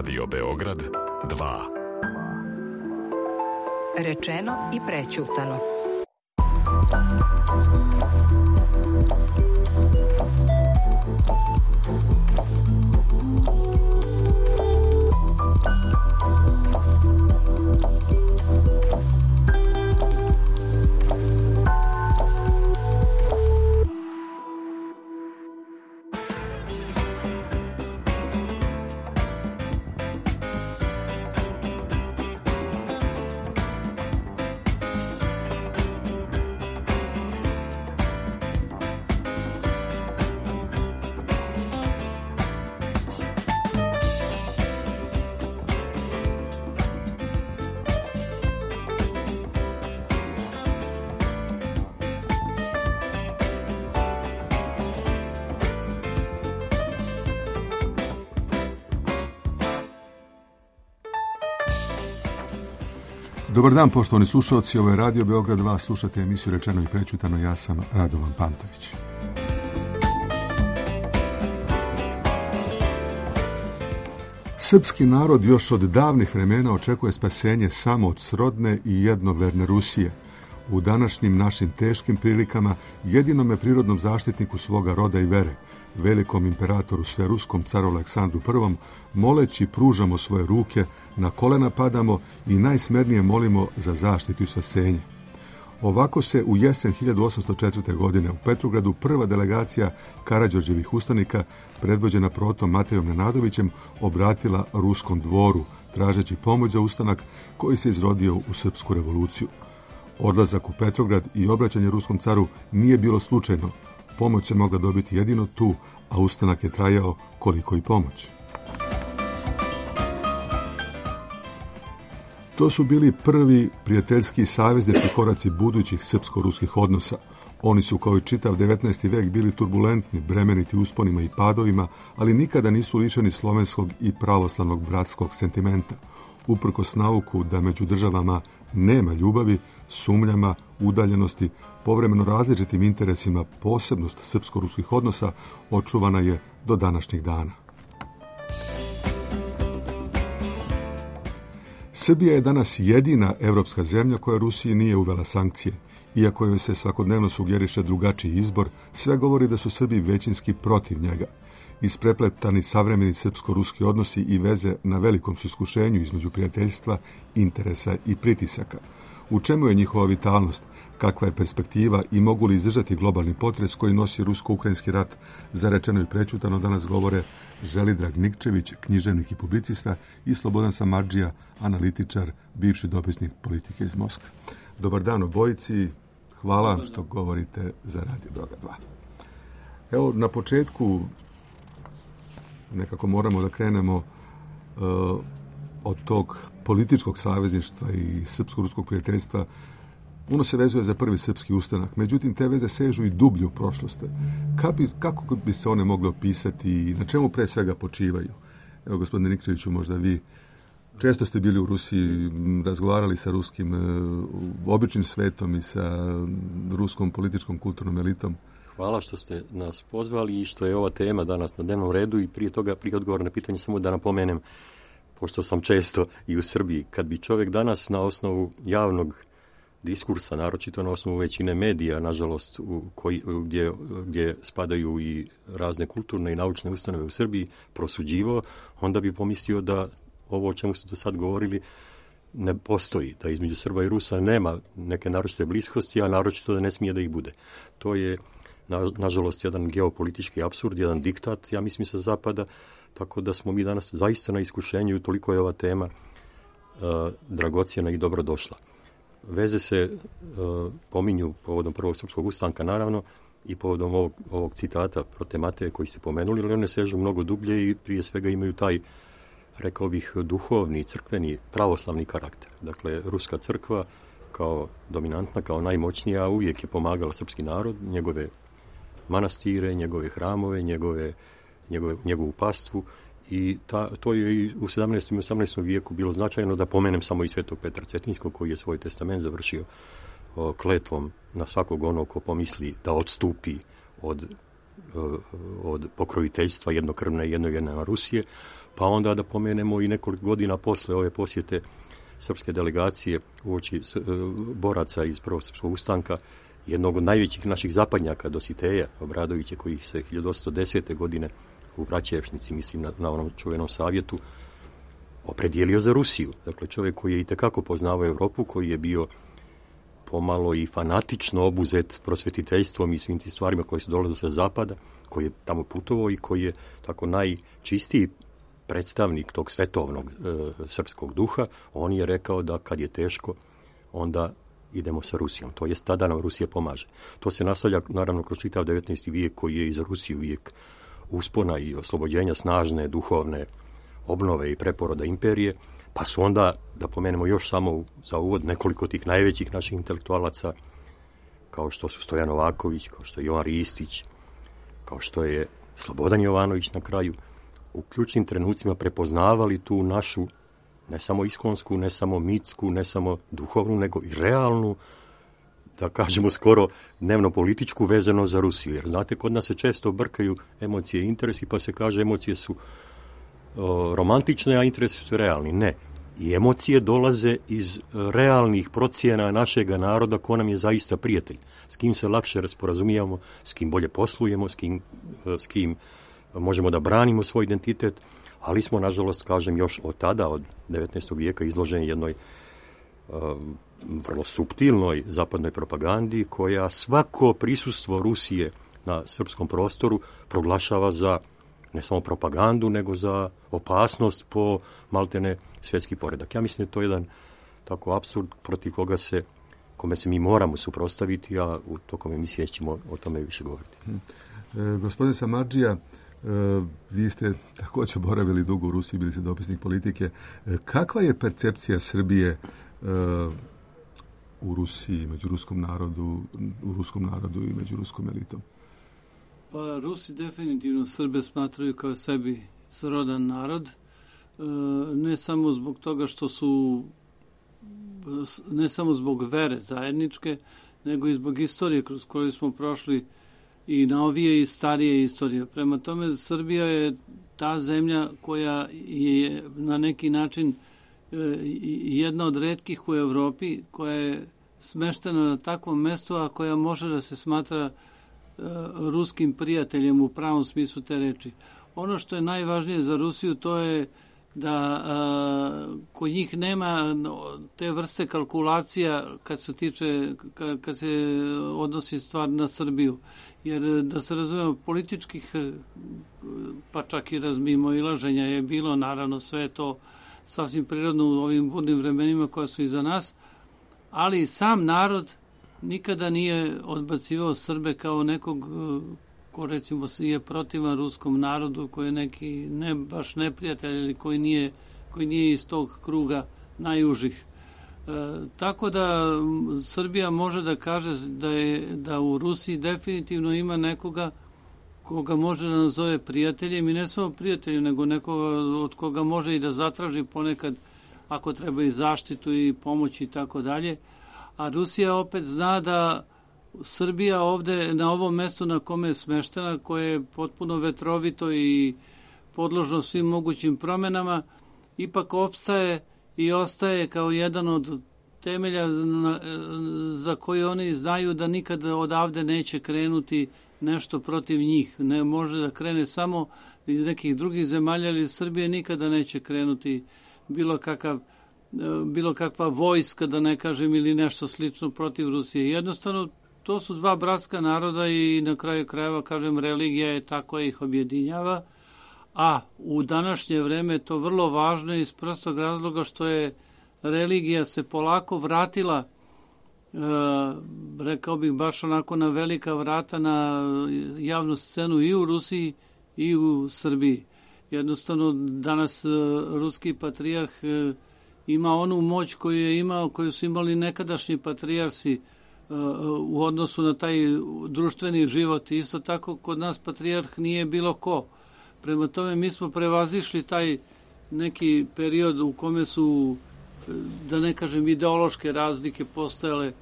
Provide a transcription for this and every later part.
Radio Beograd 2. Rečeno i prećutano. Dobar dan, poštovani slušalci, ovo je Radio Beograd 2, slušate emisiju Rečeno i prećutano, ja sam Radovan Pantović. Srpski narod još od davnih vremena očekuje spasenje samo od srodne i jednoverne Rusije. U današnjim našim teškim prilikama jedinome prirodnom zaštitniku svoga roda i vere, velikom imperatoru sveruskom caru Aleksandru I, moleći pružamo svoje ruke, na kolena padamo i najsmernije molimo za zaštitu i spasenje. Ovako se u jesen 1804. godine u Petrogradu prva delegacija Karađorđevih ustanika, predvođena protom Matejom Nenadovićem, obratila ruskom dvoru, tražeći pomoć za ustanak koji se izrodio u Srpsku revoluciju. Odlazak u Petrograd i obraćanje ruskom caru nije bilo slučajno. Pomoć se mogla dobiti jedino tu, a ustanak je trajao koliko i pomoć. To su bili prvi prijateljski saveznički koraci budućih srpsko-ruskih odnosa. Oni su kao i čitav 19. vek bili turbulentni, bremeniti usponima i padovima, ali nikada nisu lišeni slovenskog i pravoslavnog bratskog sentimenta. Uprkos nauku da među državama nema ljubavi, sumnjama, udaljenosti, povremeno različitim interesima, posebnost srpsko-ruskih odnosa očuvana je do današnjih dana. Srbija je danas jedina evropska zemlja koja Rusiji nije uvela sankcije. Iako joj se svakodnevno sugeriše drugačiji izbor, sve govori da su Srbi većinski protiv njega. Isprepletani savremeni srpsko-ruski odnosi i veze na velikom su iskušenju između prijateljstva, interesa i pritisaka. U čemu je njihova vitalnost? Kakva je perspektiva i mogu li izdržati globalni potres koji nosi rusko-ukrajinski rat? Za Rečeno i prećutano danas govore Želidrag Nikčević, književnik i publicista, i Slobodan Samardžija, analitičar, bivši dopisnik politike iz Moskve. Dobar dan obojici, hvala vam što govorite za Radio Beograd 2. Evo, na početku nekako moramo da krenemo od tog političkog savezništva i srpsko-ruskog prijateljstva. Ono se vezuje za prvi srpski ustanak, međutim te veze sežu i dublje u prošlosti. Kako bi se one mogle opisati i na čemu pre svega počivaju? Evo, gospodine Nikčeviću, možda vi često ste bili u Rusiji, razgovarali sa ruskim običnim svetom i sa ruskom političkom kulturnom elitom. Hvala što ste nas pozvali i što je ova tema danas na dnevnom redu, i prije toga, prije odgovora na pitanje, samo da napomenem, pošto sam često i u Srbiji, kad bi čovjek danas na osnovu javnog diskursa, naročito na osnovu većine medija, nažalost, gdje spadaju i razne kulturne i naučne ustanove u Srbiji, prosuđivao, onda bi pomislio da ovo o čemu ste do sad govorili ne postoji, da između Srba i Rusa nema neke naročite bliskosti, a naročito da ne smije da ih bude. To je, nažalost, jedan geopolitički apsurd, jedan diktat, ja mislim, sa zapada, tako da smo mi danas zaista na iskušenju i toliko je ova tema dragocjena i dobrodošla. Veze se pominju povodom prvog srpskog ustanka, naravno, i povodom ovog citata prote Mateje koji ste pomenuli, ali one sežu mnogo dublje i prije svega imaju taj, rekao bih, duhovni, crkveni, pravoslavni karakter. Dakle, ruska crkva kao dominantna, kao najmoćnija, uvijek je pomagala srpski narod, njegove manastire, njegove hramove, njegovu pastvu, i to je i u 17. i 18. vijeku bilo značajno. Da pomenem samo i svetog Petra Cetinjskog, koji je svoj testament završio kletvom na svakog onog ko pomisli da odstupi od pokroviteljstva jednokrvne i jednojedne Rusije. pa onda da pomenemo i nekoliko godina posle ove posjete srpske delegacije uoči boraca iz Prvog srpskog ustanka, jednog od najvećih naših zapadnjaka, Dositeja Obradovića, koji se 1810. godine u Vraćevšnici, mislim na onom čuvenom savjetu, opredijelio za Rusiju. Dakle, čovjek koji je itekako poznavao Europu, koji je bio pomalo i fanatično obuzet prosvetiteljstvom i svim tim stvarima koje su dolazile sa zapada, koji je tamo putovao i koji je tako najčistiji predstavnik tog svetovnog srpskog duha. On je rekao da kad je teško, onda idemo sa Rusijom. To jest, tada nam Rusija pomaže. To se nastavlja, naravno, kroz čitav 19. vijek, koji je i za Rusiju vijek uspona i oslobođenja, snažne, duhovne obnove i preporoda imperije, pa su onda, da pomenemo još samo za uvod, nekoliko tih najvećih naših intelektualaca, kao što su Stojan Novaković, kao što je Jovan Ristić, kao što je Slobodan Jovanović na kraju, u ključnim trenucima prepoznavali tu našu, ne samo iskonsku, ne samo mitsku, ne samo duhovnu, nego i realnu, da kažemo skoro dnevno političku vezano za Rusiju. Jer znate, kod nas se često brkaju emocije i interesi, pa se kaže emocije su romantične, a interesi su realni. Ne. I emocije dolaze iz realnih procjena našega naroda ko nam je zaista prijatelj. S kim se lakše rasporazumijamo, s kim bolje poslujemo, s kim možemo da branimo svoj identitet, ali smo, nažalost, kažem, još od tada, od 19. vijeka, izloženi jednoj vrlo suptilnoj zapadnoj propagandi, koja svako prisustvo Rusije na srpskom prostoru proglašava za ne samo propagandu, nego za opasnost po maltene svjetski poredak. Ja mislim da je to jedan tako apsurd protiv kome se mi moramo suprotstaviti, a u tokom emisije ćemo o tome više govoriti. Gospodine Samardžija, vi ste također boravili dugo u Rusiji, bili ste dopisnik politike. Kakva je percepcija Srbije u Rusiji, među ruskom narodu i među ruskom elitom? Pa Rusi definitivno Srbe smatraju kao sebi srodan narod, ne samo zbog toga što su, ne samo zbog vere zajedničke, nego i zbog istorije kroz koju smo prošli, i novije i starije istorije. Prema tome, Srbija je ta zemlja koja je na neki način jedna od retkih u Evropi, koja je smeštena na takvom mestu, a koja može da se smatra ruskim prijateljem u pravom smislu te reči. Ono što je najvažnije za Rusiju, to je da kod njih nema te vrste kalkulacija kad se odnosi stvar na Srbiju. Jer, da se razumemo, političkih, pa čak i razmimoilaženja je bilo, naravno sve to sasvim prirodno u ovim budnim vremenima koja su iza nas, ali sam narod nikada nije odbacivao Srbe kao nekog ko, recimo, je protivan ruskom narodu, koji je neki ne baš neprijatelj ili koji nije iz tog kruga najužih. Tako da Srbija može da kaže da u Rusiji definitivno ima nekoga koga može da nazove prijateljem, i ne samo prijateljem, nego nekoga od koga može i da zatraži ponekad, ako treba, i zaštitu i pomoć i tako dalje. A Rusija opet zna da Srbija ovde, na ovom mestu na kome je smeštena, koje je potpuno vetrovito i podložno svim mogućim promenama, ipak opstaje i ostaje kao jedan od temelja za koje oni znaju da nikad odavde neće krenuti nešto protiv njih. Ne može da krene samo iz nekih drugih zemalja, ali Srbije nikada neće krenuti bilo kakva vojska, da ne kažem, ili nešto slično protiv Rusije. Jednostavno, to su dva bratska naroda i na kraju krajeva, kažem, religija je ta koja ih objedinjava, a u današnje vreme je to vrlo važno iz prostog razloga što je religija se polako vratila, rekao bih baš onako na velika vrata na javnu scenu i u Rusiji i u Srbiji. Jednostavno, danas ruski patrijarh ima onu moć koju je imao, koju su imali nekadašnji patrijarsi u odnosu na taj društveni život. Isto tako, kod nas patrijarh nije bilo ko. Prema tome, mi smo prevazišli taj neki period u kome su, da ne kažem, ideološke razlike postojale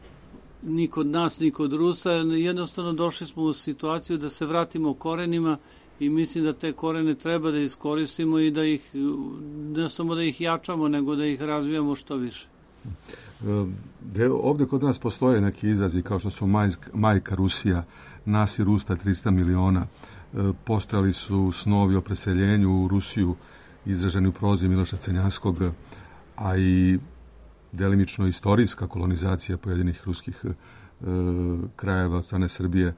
ni kod nas, ni kod Rusa. Jednostavno došli smo u situaciju da se vratimo korenima i mislim da te korene treba da iskoristimo i da ih, ne samo da ih jačamo, nego da ih razvijamo što više. Ovdje kod nas postoje neki izrazi kao što su majka Rusija, nas i Rusta 300 miliona. Postojali su snovi o preseljenju u Rusiju izraženi u prozi Miloša Crnjanskog, a i delimično istorijska kolonizacija pojedinih ruskih krajeva od strane Srbije.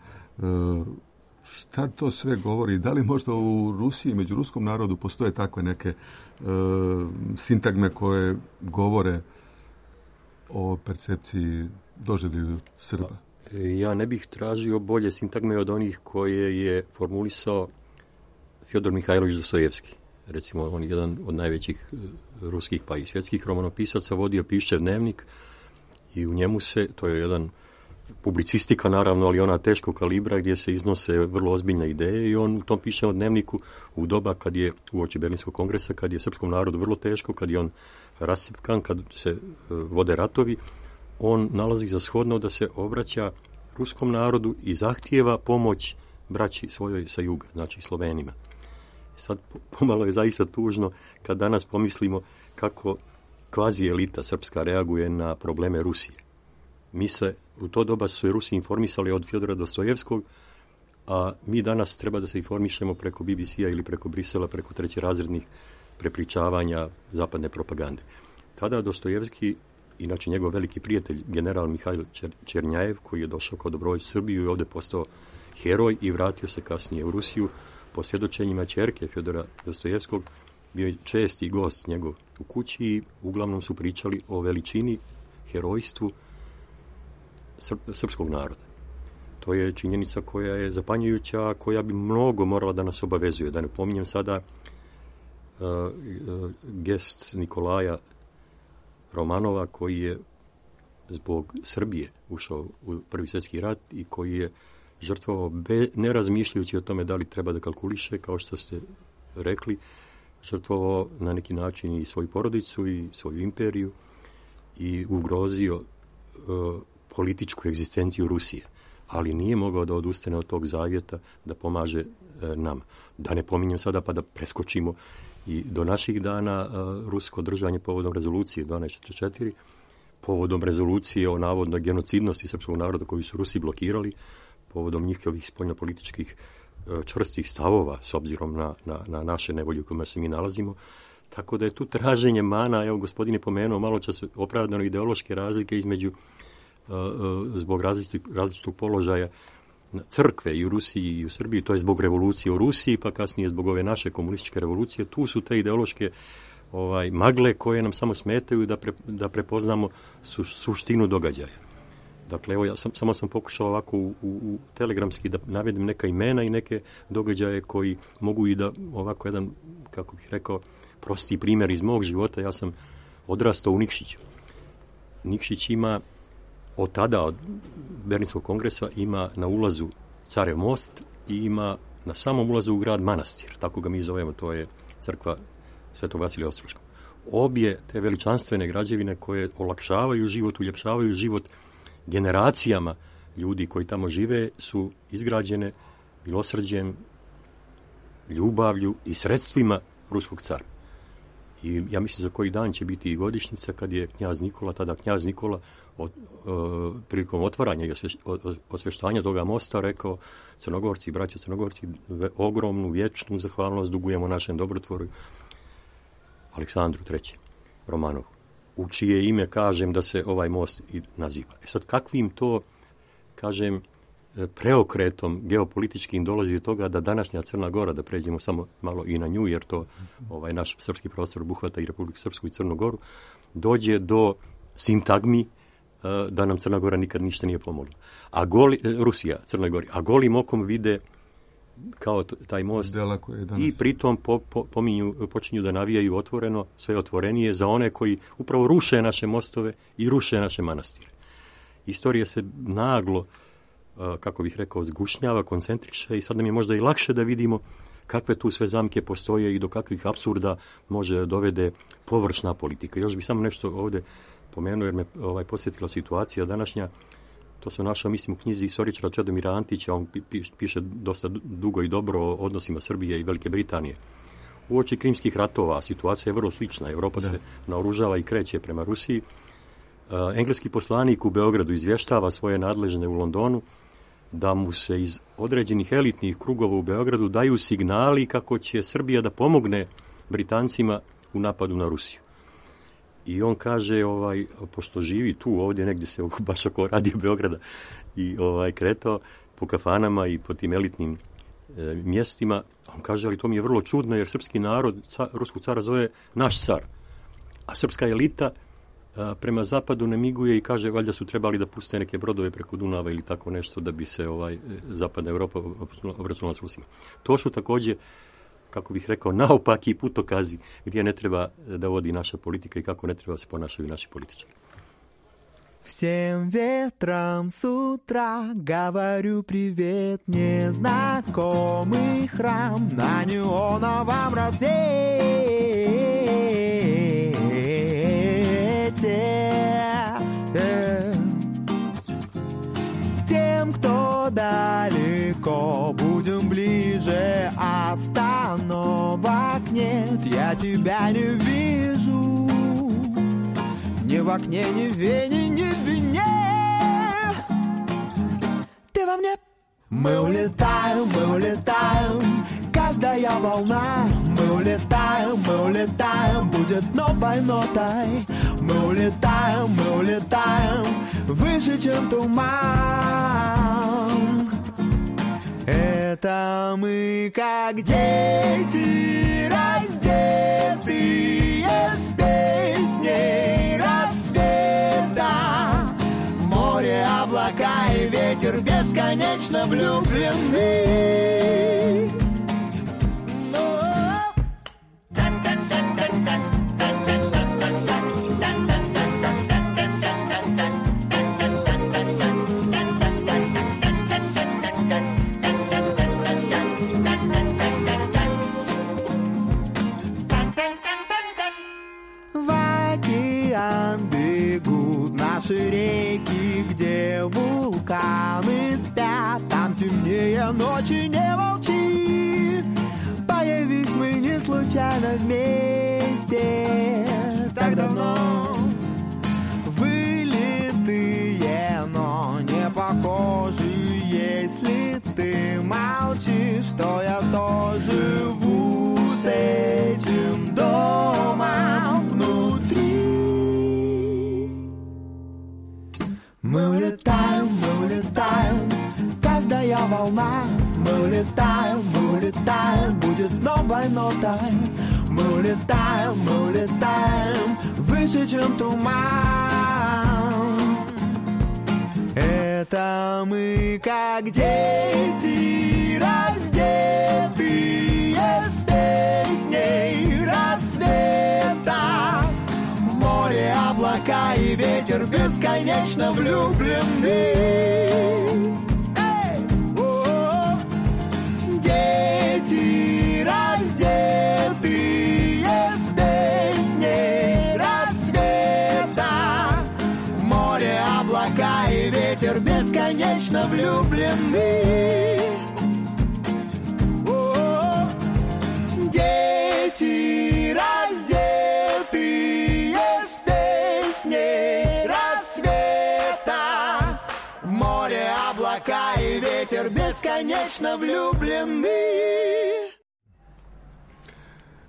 Šta to sve govori? Da li možda u Rusiji, među ruskom narodu, postoje takve neke sintagme koje govore o percepciji doživlju Srba? Ja ne bih tražio bolje sintagme od onih koje je formulisao Fjodor Mihajlović Dostojevski. Recimo, on je jedan od najvećih ruskih pa i svjetskih romanopisaca, vodio Piščev dnevnik i u njemu se, to je jedan publicistika naravno, ali ona teškog kalibra gdje se iznose vrlo ozbiljne ideje i on u tom Piščevom dnevniku u doba kad je uoči Berlinskog kongresa, kad je srpskom narodu vrlo teško, kad je on rasipkan, kad se vode ratovi, on nalazi za shodno da se obraća ruskom narodu i zahtijeva pomoć braći svojoj sa juga, znači Slovenima. Sad pomalo je zaista tužno kad danas pomislimo kako kvazi elita srpska reaguje na probleme Rusije. Mi se, u to doba su Rusi informisali od Fjodora Dostojevskog, a mi danas treba da se informišemo preko BBC-a ili preko Brisela, preko trećerazrednih prepričavanja zapadne propagande. Tada Dostojevski, inače njegov veliki prijatelj, general Mihajl Černjajev, koji je došao kao dobrovoljac u Srbiju i ovdje postao heroj i vratio se kasnije u Rusiju, po svjedočenjima ćerke Fjodora Dostojevskog, bio je česti gost njegov u kući i uglavnom su pričali o veličini, herojstvu srpskog naroda. To je činjenica koja je zapanjujuća, koja bi mnogo morala da nas obavezuje. Da ne pominjem sada gest Nikolaja Romanova, koji je zbog Srbije ušao u Prvi svjetski rat i koji je žrtvovao, ne razmišljajući o tome da li treba da kalkuliše, kao što ste rekli, žrtvovao na neki način i svoju porodicu i svoju imperiju i ugrozio političku egzistenciju Rusije. Ali nije mogao da odustane od tog zavjeta da pomaže nama. Da ne pominjem sada pa da preskočimo i do naših dana rusko držanje povodom rezolucije 1244, povodom rezolucije o navodnoj genocidnosti srpskog naroda koju su Rusi blokirali, povodom njihovih spoljnopolitičkih čvrstih stavova s obzirom na naše nevolje u kojima se mi nalazimo. Tako da je tu traženje mana, evo gospodin je pomenuo malo čas opravdano ideološke razlike između zbog različitog položaja crkve i u Rusiji i u Srbiji, to je zbog revolucije u Rusiji, pa kasnije zbog ove naše komunističke revolucije. Tu su te ideološke magle koje nam samo smetaju da prepoznamo suštinu događaja. Dakle, evo, samo sam pokušao ovako u telegramski da navedem neka imena i neke događaje koji mogu i da ovako jedan, kako bih rekao, prosti primjer iz mog života. Ja sam odrastao u Nikšiću. Nikšić ima od tada, od Berlinskog kongresa, ima na ulazu Carev most i ima na samom ulazu u grad manastir, tako ga mi zovemo, to je crkva Svetog Vasilija Ostroškog. Obje te veličanstvene građevine koje olakšavaju život, uljepšavaju život generacijama ljudi koji tamo žive su izgrađene milosrđem, ljubavlju i sredstvima ruskog cara. I ja mislim za koji dan će biti i godišnjica kad je knjaz Nikola prilikom otvaranja i osveštanja toga mosta rekao: Crnogorci, braća Crnogorci, ogromnu, vječnu zahvalnost dugujemo našem dobrotvoru Aleksandru III. Romanovu, u čije ime kažem da se ovaj most i naziva. Sad, kakvim to, kažem, preokretom geopolitičkim dolazi do toga da današnja Crna Gora, da pređemo samo malo i na nju, jer to naš srpski prostor obuhvata i Republiku Srpsku i Crnu Goru, dođe do sintagmi da nam Crna Gora nikad ništa nije pomogla. Rusija, Crnoj Gori, a golim okom vide kao taj most i pritom počinju da navijaju otvoreno, sve otvorenije za one koji upravo ruše naše mostove i ruše naše manastire. Istorija se naglo, kako bih rekao, zgušnjava, koncentriše i sad nam je možda i lakše da vidimo kakve tu sve zamke postoje i do kakvih apsurda može dovede površna politika. Još bih samo nešto ovdje pomenuo jer me posjetila situacija današnja. to sam našao, mislim, u knjizi istoričara Čedomira Antića, on piše dosta dugo i dobro o odnosima Srbije i Velike Britanije. Uoči Krimskih ratova situacija je vrlo slična. Evropa se naoružava i kreće prema Rusiji. Engleski poslanik u Beogradu izvještava svoje nadležne u Londonu da mu se iz određenih elitnih krugova u Beogradu daju signali kako će Srbija da pomogne Britancima u napadu na Rusiju. I on kaže, pošto živi tu, ovdje negdje se baš oko radio Beograda i kretao po kafanama i po tim elitnim mjestima, on kaže, ali to mi je vrlo čudno jer srpski narod ruskog cara zove naš car, a srpska elita prema zapadu ne miguje i kaže, valjda su trebali da puste neke brodove preko Dunava ili tako nešto da bi se zapadna Evropa obračunala s Rusima. To su također, kako bih rekao, naopaki putokazi gdje ne treba da vodi naša politika i kako ne treba se ponašaju naši političari. Всем ветрам с утра говорю привет, незнакомый храм на неоновом рассвете. Тем, кто далеко, будем ближе, остановок нет, я тебя не вижу. Ни в окне, ни в вене, ни в вине. Ты во мне. Мы улетаем, каждая волна. Мы улетаем, будет новой нотой. Мы улетаем, выше, чем туман. Это мы, как дети, раздетые с песней рассвета. Море, облака и ветер бесконечно влюблены. Наши реки, где вулканы спят, там темнее ночи, не молчи. Появись мы не случайно вместе так давно. Вылитые, но не похожи, если ты молчишь, что я тоже живу с этим домом внутри. Мы улетаем, каждая волна. Мы улетаем, будет новой нотой. Мы улетаем, выше, чем туман. Это мы, как дети, раздетые с песней рассвета. Море, облака и ветер бесконечно влюблены. Дети, раздетые с песней рассвета. Море, облака и ветер бесконечно влюблены. Дети, раздетые с песней рассвета. В море, облака и ветер бесконечно влюблены.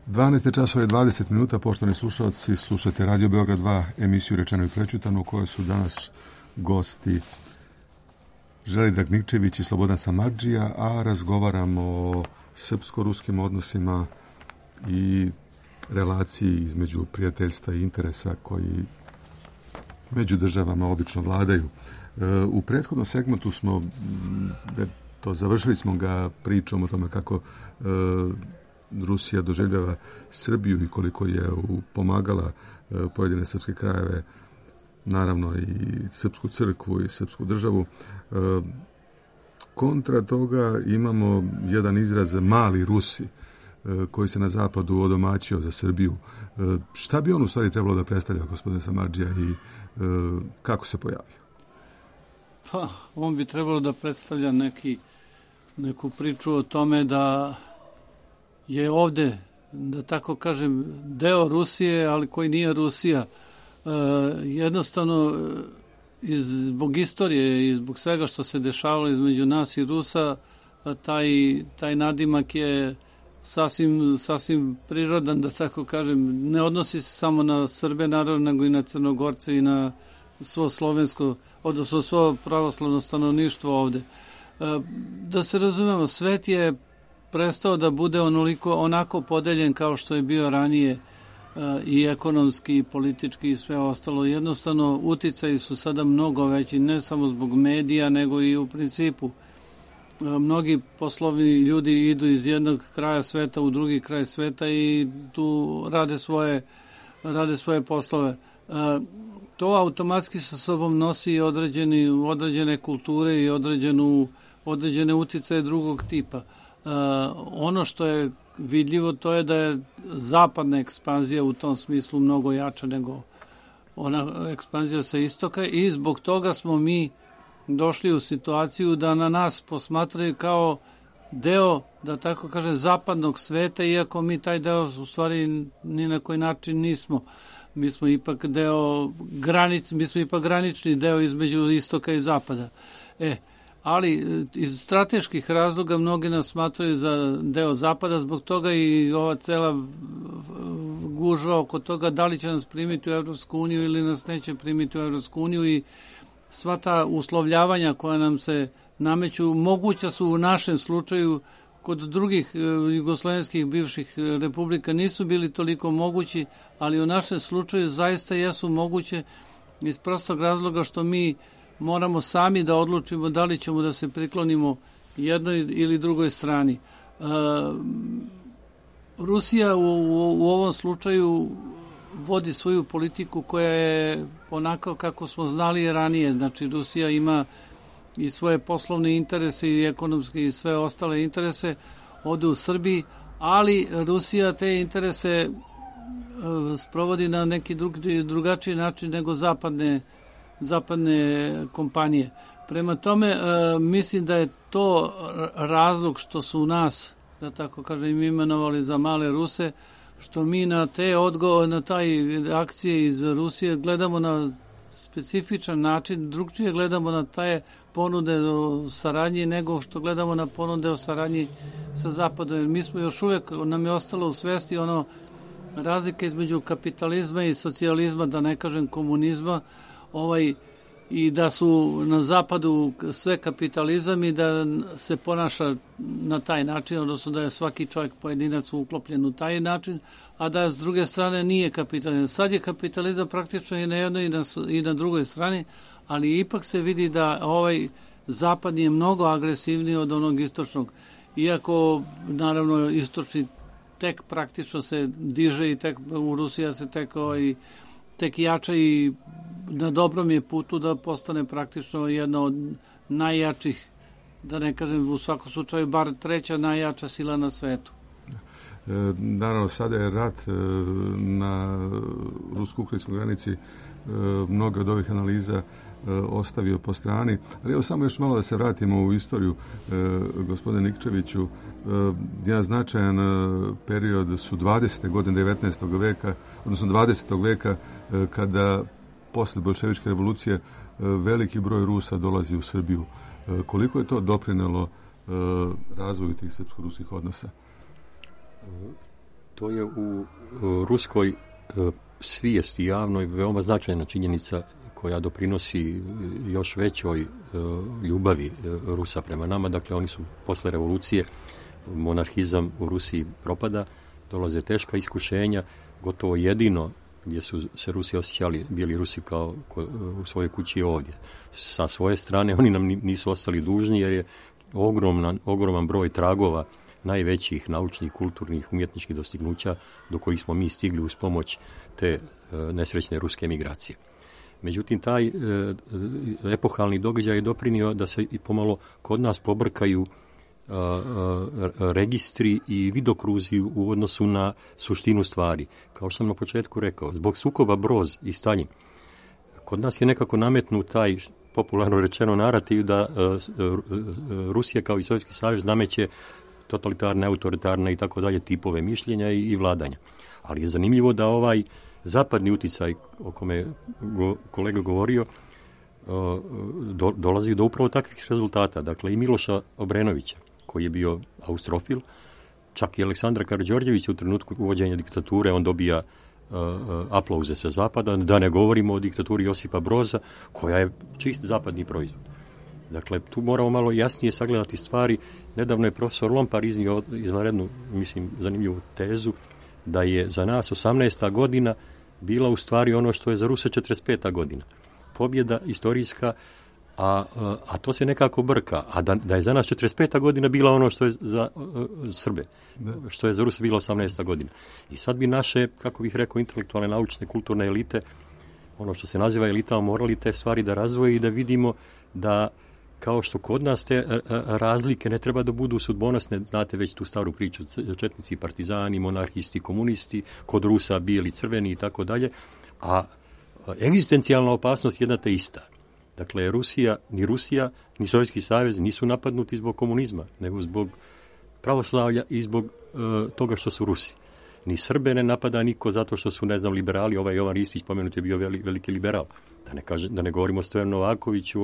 12 časova i 20 minuta, poštovani slušalci, slušate Radio Beograd 2, emisiju Rečeno i prečutano, u kojoj su danas gosti Želidrag Nikčević i Slobodan Samardžija, a razgovaramo o srpsko-ruskim odnosima i relaciji između prijateljstva i interesa koji među državama obično vladaju. U prethodnom segmentu smo završili smo ga pričom o tome kako Rusija doživljava Srbiju i koliko je pomagala pojedine srpske krajeve, naravno i srpsku crkvu i srpsku državu. Kontra toga imamo jedan izraz mali Rusi koji se na zapadu odomaćio za Srbiju. Šta bi on u stvari trebalo da predstavlja, gospodine Samardžija, i kako se pojavio? Pa, on bi trebalo da predstavlja neku priču o tome da je ovde, da tako kažem, deo Rusije, ali koji nije Rusija. Jednostavno, zbog istorije i zbog svega što se dešavalo između nas i Rusa, taj nadimak je sasvim prirodan, da tako kažem. Ne odnosi se samo na Srbe, naravno, nego i na Crnogorce i na svo slovensko, odnosno svo pravoslavno stanovništvo ovde. Da se razumemo, svet je prestao da bude onako podeljen kao što je bio ranije, i ekonomski, i politički i sve ostalo. Jednostavno, uticaji su sada mnogo veći, ne samo zbog medija, nego i u principu. Mnogi poslovni ljudi idu iz jednog kraja sveta u drugi kraj sveta i tu rade svoje poslove. To automatski sa sobom nosi određene kulture i određene uticaje drugog tipa. Ono što je vidljivo, to je da je zapadna ekspanzija u tom smislu mnogo jača nego ona ekspanzija sa istoka i zbog toga smo mi došli u situaciju da na nas posmatraju kao deo, da tako kaže, zapadnog sveta, iako mi taj deo u stvari ni na koji način nismo. Mi smo ipak granični deo između istoka i zapada. Ali iz strateških razloga mnogi nas smatraju za deo zapada, zbog toga i ova cela gužva oko toga da li će nas primiti u Evropsku uniju ili nas neće primiti u Evropsku uniju i sva ta uslovljavanja koja nam se nameću, moguća su u našem slučaju, kod drugih jugoslovenskih bivših republika nisu bili toliko mogući, ali u našem slučaju zaista jesu moguće iz prostog razloga što mi moramo sami da odlučimo da li ćemo da se priklonimo jednoj ili drugoj strani. Rusija u ovom slučaju vodi svoju politiku koja je onako kako smo znali ranije. Znači, Rusija ima i svoje poslovne interese i ekonomske i sve ostale interese ovde u Srbiji, ali Rusija te interese sprovodi na neki drugačiji način nego zapadne kompanije. Prema tome, mislim da je to razlog što su u nas, da tako kažem, imenovali za male Ruse, što mi na taj akcije iz Rusije gledamo na specifičan način, drugčije gledamo na te ponude o saradnji nego što gledamo na ponude o saradnji sa Zapadom. Jer mi smo još uvek, nam je ostalo u svesti razlika između kapitalizma i socijalizma, da ne kažem komunizma, i da su na Zapadu sve kapitalizam i da se ponaša na taj način, odnosno da je svaki čovjek pojedinac uklopljen u taj način, a da s druge strane nije kapitalizam. Sad je kapitalizam praktično i na jednoj i na drugoj strani, ali ipak se vidi da ovaj zapadni je mnogo agresivniji od onog istočnog. Iako, naravno, istočni tek praktično se diže i tek u Rusiji se tek jača i na dobrom je putu da postane praktično jedna od najjačih, da ne kažem u svakom slučaju, bar treća najjača sila na svetu. Naravno, sada je rat na rusko-ukrajinskoj granici mnoge od ovih analiza ostavio po strani. Ali evo samo još malo da se vratimo u istoriju, gospodine Nikčeviću. Jedan značajan period su 20. godine 19. veka, odnosno 20. veka, kada posle bolševičke revolucije veliki broj Rusa dolazi u Srbiju. Koliko je to doprinelo razvoju tih srpsko-ruskih odnosa? To je u ruskoj svijesti javnoj veoma značajna činjenica koja doprinosi još većoj ljubavi Rusa prema nama. Dakle, oni su posle revolucije, monarhizam u Rusiji propada, dolaze teška iskušenja, gotovo jedino gdje su se Rusi osjećali, bili Rusi kao u svojoj kući ovdje. Sa svoje strane oni nam nisu ostali dužni jer je ogroman broj tragova najvećih naučnih, kulturnih, umjetničkih dostignuća do kojih smo mi stigli uz pomoć te nesrećne ruske migracije. Međutim, taj epohalni događaj je doprinio da se i pomalo kod nas pobrkaju registri i vidokruzi u odnosu na suštinu stvari. Kao što sam na početku rekao, zbog sukoba Broz i Staljin, kod nas je nekako nametnut taj popularno rečeno narativ da Rusija kao i Sovjetski savez nameće totalitarne, autoritarne i tako dalje tipove mišljenja i vladanja. Ali je zanimljivo da ovaj zapadni uticaj o kome je kolega govorio dolazi do upravo takvih rezultata. Dakle, i Miloša Obrenovića, koji je bio austrofil, čak i Aleksandra Karađorđevića u trenutku uvođenja diktature, on dobija aplauze sa zapada, da ne govorimo o diktaturi Josipa Broza, koja je čist zapadni proizvod. Dakle, tu moramo malo jasnije sagledati stvari. Nedavno je profesor Lompar iznio izvanrednu, mislim, zanimljivu tezu, da je za nas 18. godina bila u stvari ono što je za Ruse 45. godina. Pobjeda istorijska, a to se nekako brka. A da je za nas 45. godina bila ono što je za Srbe, što je za Ruse bila 18. godina. I sad bi naše, kako bih rekao, intelektualne, naučne, kulturne elite, ono što se naziva elitama, morali te stvari da razvoje i da vidimo da kao što kod nas te razlike ne treba da budu sudbonosne, znate već tu staru priču, četnici, partizani, monarhisti, komunisti, kod Rusa bijeli, crveni i tako dalje, a egzistencijalna opasnost jedna te ista. Dakle, Rusija, ni Sovjetski savez nisu napadnuti zbog komunizma, nego zbog pravoslavlja i zbog toga što su Rusi. Ni Srbe ne napada niko zato što su, ne znam, liberali. Ovaj Jovan Ristić, pomenut, je bio veliki liberal. Da ne govorimo o Stojanu Novakoviću,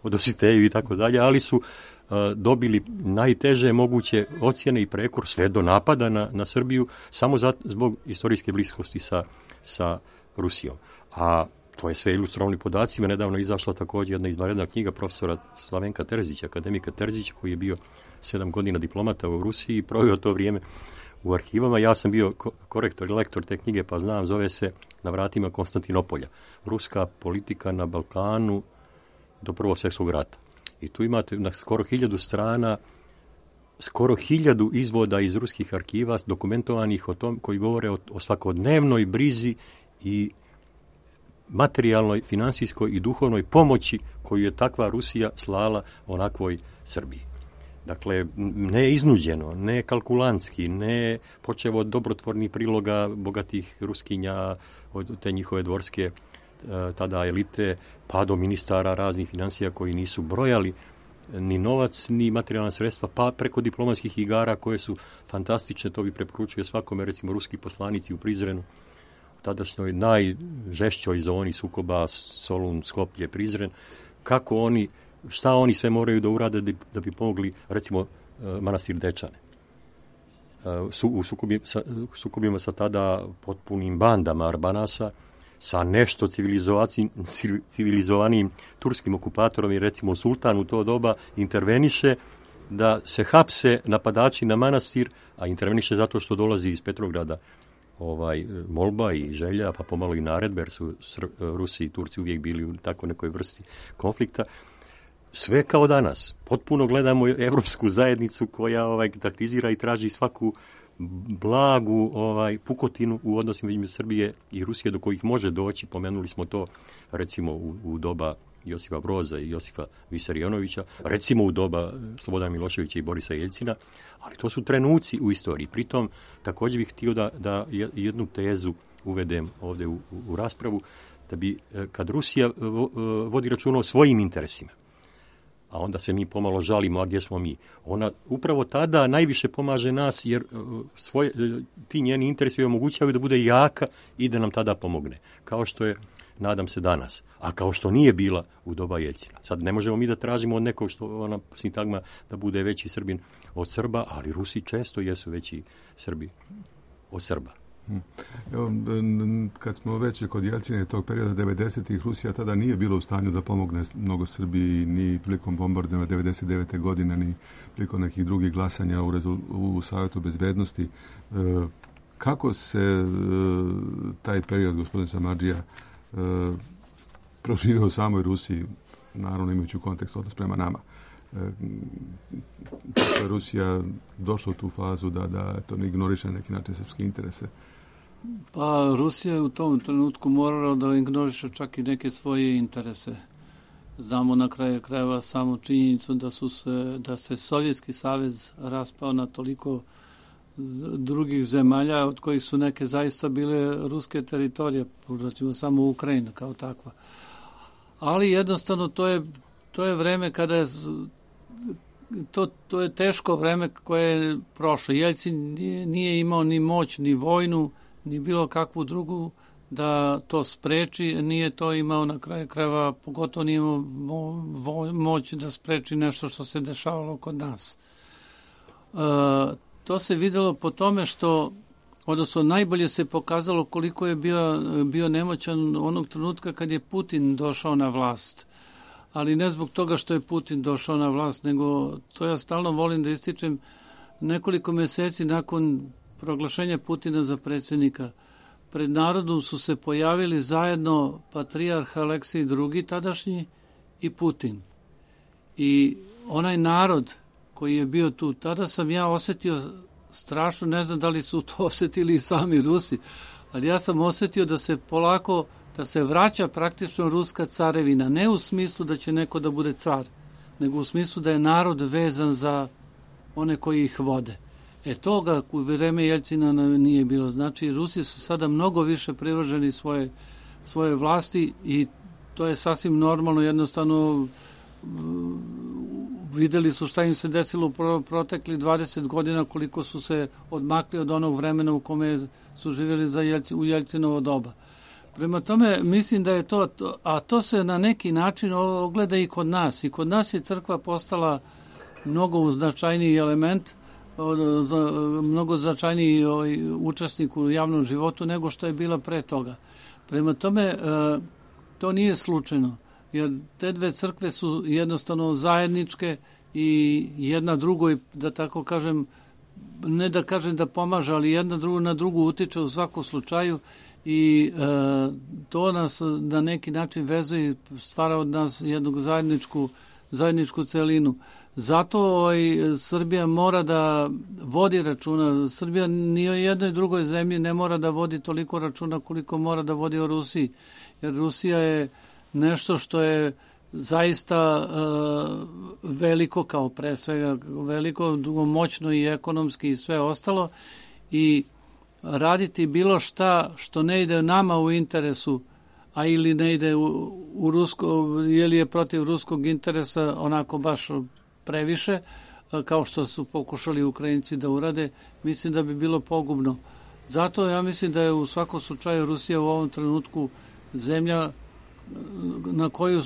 o Dositeju i tako dalje, ali su dobili najteže moguće ocjene i prekor sve do napada na Srbiju samo zbog istorijske bliskosti sa Rusijom. A to je sve ilustrovani podacima. Nedavno je izašla također jedna izvanredna knjiga profesora Slavenka Terzića, akademika Terzića, koji je bio 7 godina diplomata u Rusiji i proveo to vrijeme u arhivama. Ja sam bio korektor i lektor te knjige, pa znam, zove se Na vratima Konstantinopolja. Ruska politika na Balkanu do Prvog svjetskog rata. I tu imate na skoro 1000 strana, skoro 1000 izvoda iz ruskih arhiva dokumentovanih o tom, koji govore o svakodnevnoj brizi i materijalnoj, finansijskoj i duhovnoj pomoći koju je takva Rusija slala onakvoj Srbiji. Dakle, ne iznuđeno, ne kalkulantski, ne počevo od dobrotvornih priloga bogatih Ruskinja, od te njihove dvorske tada elite, pa do ministara raznih financija koji nisu brojali ni novac, ni materijalna sredstva, pa preko diplomatskih igara koje su fantastične, to bi preporučio svakome, recimo ruski poslanici u Prizrenu, tadašnjoj najžešćoj zoni sukoba Solun, Skoplje, Prizren, šta oni sve moraju da urade da bi pomogli, recimo, manastir Dečane. U sukobima sa tada potpunim bandama Arbanasa, sa nešto civilizovanijim turskim okupatorom i recimo sultan u to doba interveniše da se hapse napadači na manastir, a interveniše zato što dolazi iz Petrograda molba i želja, pa pomalo i naredbe, jer su Rusi i Turci uvijek bili u tako nekoj vrsti konflikta. Sve kao danas. Potpuno gledamo evropsku zajednicu koja taktizira i traži svaku blagu pukotinu u odnosima između Srbije i Rusije do kojih može doći. Pomenuli smo to recimo u doba Josipa Broza i Josipa Visarionovića, recimo u doba Slobodana Miloševića i Borisa Jeljcina, ali to su trenuci u istoriji. Pritom također bih htio da jednu tezu uvedem ovdje u raspravu, da bi kad Rusija vodi računa o svojim interesima, a onda se mi pomalo žalimo, a gdje smo mi? Ona upravo tada najviše pomaže nas, jer ti njeni interesi joj omogućavaju da bude jaka i da nam tada pomogne. Kao što je, nadam se, danas. A kao što nije bila u doba Jeljcina. Sad ne možemo mi da tražimo od nekog što ona sintagma da bude veći Srbin od Srba, ali Rusi često jesu veći Srbi od Srba. Evo, kad smo već kod Jeljcina tog perioda 90-ih, Rusija tada nije bila u stanju da pomogne mnogo Srbiji ni prilikom bombardovanja 99. godine, ni prilikom nekih drugih glasanja u Savjetu bezbednosti. Kako se taj period, gospodin Samardžija, proživio u samoj Rusiji, naravno imajući u kontekst odnos prema nama? Kako je Rusija došla u tu fazu da to ne ignoriše na neki način srpske interese? Pa Rusija je u tom trenutku morala da ignoriše čak i neke svoje interese. Znamo na kraju krajeva samo činjenicu da se Sovjetski savez raspao na toliko drugih zemalja, od kojih su neke zaista bile ruske teritorije, recimo samo Ukrajina kao takva. ali jednostavno to je vreme kada je to je teško vreme koje je prošlo. Jeljcin nije imao ni moć, ni vojnu, ni bilo kakvu drugu da to spreči, nije to imao na kraju krajeva, pogotovo nije imao moć da spreči nešto što se dešavalo kod nas. To se videlo po tome što, odnosno najbolje se pokazalo koliko je bio nemoćan onog trenutka kad je Putin došao na vlast. Ali ne zbog toga što je Putin došao na vlast, nego to ja stalno volim da ističem, nekoliko meseci nakon proglašenja Putina za predsjednika, pred narodom su se pojavili zajedno patrijarh Aleksij II tadašnji i Putin. I onaj narod koji je bio tu, tada sam ja osjetio strašno, ne znam da li su to osjetili i sami Rusi, ali ja sam osjetio da se polako, da se vraća praktično ruska carevina, ne u smislu da će neko da bude car, nego u smislu da je narod vezan za one koji ih vode. Toga u vreme Jeljcina nije bilo. Znači, Rusi su sada mnogo više privrženi svoje vlasti i to je sasvim normalno, jednostavno videli su šta im se desilo u protekli 20 godina, koliko su se odmakli od onog vremena u kome su živjeli u Jeljcinovo doba. Prema tome, mislim da je to, a to se na neki način ogleda i kod nas. I kod nas je crkva postala mnogo značajniji element, mnogo značajniji učesnik u javnom životu nego što je bila pre toga. Prema tome, to nije slučajno, jer te dve crkve su jednostavno zajedničke i jedna drugoj, da tako kažem, ne da kažem da pomaže, ali jedna na drugu utiče u svakom slučaju i to nas na neki način vezuje i stvara od nas jednu zajedničku celinu. Zato Srbija mora da vodi računa. Srbija ni o jednoj drugoj zemlji ne mora da vodi toliko računa koliko mora da vodi o Rusiji. Jer Rusija je nešto što je zaista veliko, kao pre svega veliko, moćno i ekonomski i sve ostalo. I raditi bilo šta što ne ide nama u interesu, a ili ne ide u rusko, ili je protiv ruskog interesa onako baš previše, kao što su pokušali Ukrajinci da urade, mislim da bi bilo pogubno. Zato ja mislim da je u svakom slučaju Rusija u ovom trenutku zemlja na koju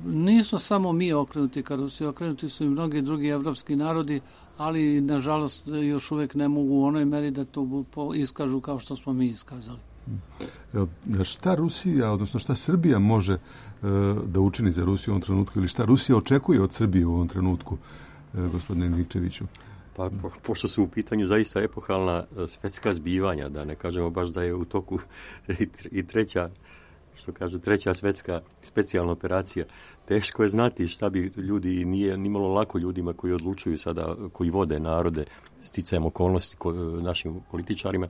nisu samo mi okrenuti ka Rusiji, okrenuti su i mnogi drugi evropski narodi, ali nažalost još uvek ne mogu u onoj meri da to iskažu kao što smo mi iskazali. Šta Rusija, odnosno šta Srbija može da učini za Rusiju u ovom trenutku ili šta Rusija očekuje od Srbije u ovom trenutku, gospodine Nikčeviću? Pa, pošto su u pitanju zaista epohalna svetska zbivanja, da ne kažemo baš da je u toku i treća svetska specijalna operacija, teško je znati šta bi ljudi, nije nimalo lako ljudima koji odlučuju sada, koji vode narode sticajem okolnosti našim političarima.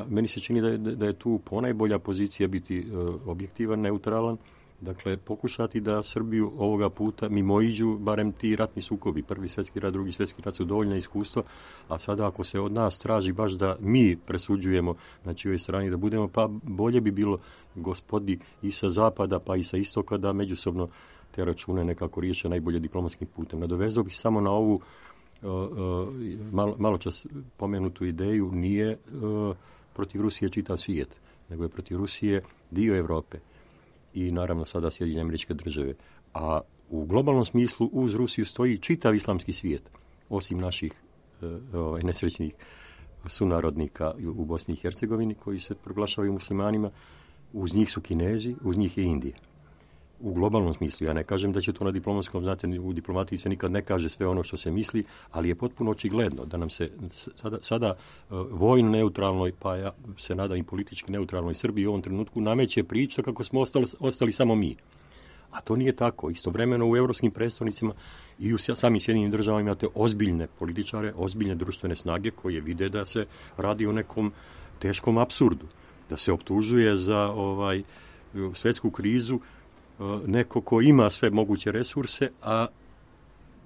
Meni se čini da je tu ponajbolja pozicija biti objektivan, neutralan, dakle pokušati da Srbiju ovoga puta mimoiđu barem ti ratni sukobi. Prvi svjetski rat, drugi svjetski rat su dovoljna iskustva, a sada ako se od nas traži baš da mi presuđujemo na čijoj strani da budemo, pa bolje bi bilo gospodi i sa zapada pa i sa istoka da međusobno te račune nekako riješe najbolje diplomatskim putem. Nadovezao bih samo na ovu malo čas pomenutu ideju, nije protiv Rusije čitav svijet, nego je protiv Rusije dio Europe i naravno sada Sjedinjene Američke Države. A u globalnom smislu uz Rusiju stoji čitav islamski svijet, osim naših nesrećnih sunarodnika u Bosni i Hercegovini koji se proglašavaju muslimanima. Uz njih su Kinezi, uz njih je Indija. U globalnom smislu, ja ne kažem da će to na diplomatskom, znate, u diplomatiji se nikad ne kaže sve ono što se misli, ali je potpuno očigledno da nam se sada vojno neutralnoj, pa ja se nadam i politički neutralnoj Srbiji u ovom trenutku nameće priča kako smo ostali samo mi. A to nije tako. Istovremeno u evropskim predstavnicima i u samim Sjedinjenim Državama imate ozbiljne političare, ozbiljne društvene snage koje vide da se radi o nekom teškom apsurdu, da se optužuje za svjetsku krizu neko ko ima sve moguće resurse, a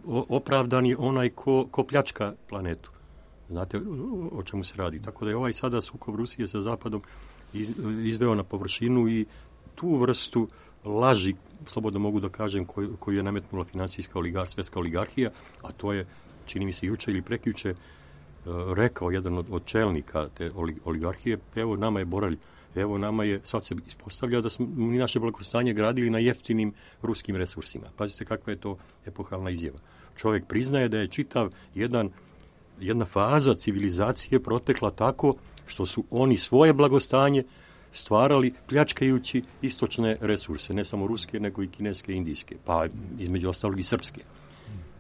opravdan je onaj ko pljačka planetu. Znate o čemu se radi. Tako da je sada sukob Rusije sa Zapadom izveo na površinu i tu vrstu laži, slobodno mogu da kažem, koju je nametnula finansijska svjetska oligarhija, a to je, čini mi se, juče ili prekjuče rekao jedan od čelnika te oligarhije, evo nama je Borelj, evo nama je, sad se ispostavlja da smo mi naše blagostanje gradili na jeftinim ruskim resursima. Pazite kakva je to epohalna izjava. Čovjek priznaje da je čitav jedna faza civilizacije protekla tako što su oni svoje blagostanje stvarali pljačkajući istočne resurse, ne samo ruske, nego i kineske i indijske, pa između ostalog i srpske.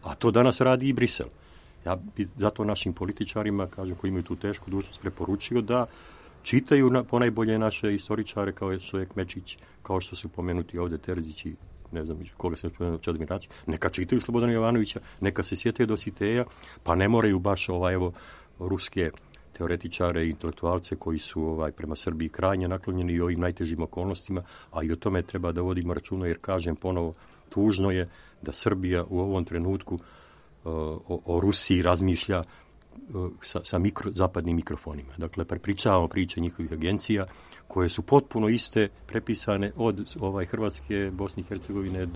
A to danas radi i Brisel. Ja bi zato našim političarima, kažem, koji imaju tu tešku dužnost, preporučio da čitaju ponajbolje naše istoričare kao što je Kmečić, kao što su pomenuti ovdje Terzić i ne znam koga se spomenuo, Čedomir Račić, neka čitaju Slobodana Jovanovića, neka se sjete Dositeja, pa ne moraju baš ruske teoretičare i intelektualce koji su prema Srbiji krajnje naklonjeni i ovim najtežim okolnostima, a i o tome treba da vodimo računa, jer kažem ponovo, tužno je da Srbija u ovom trenutku o Rusiji razmišlja sa zapadnim mikrofonima. Dakle, prepričavamo priče njihovih agencija koje su potpuno iste, prepisane od Hrvatske, Bosne i Hercegovine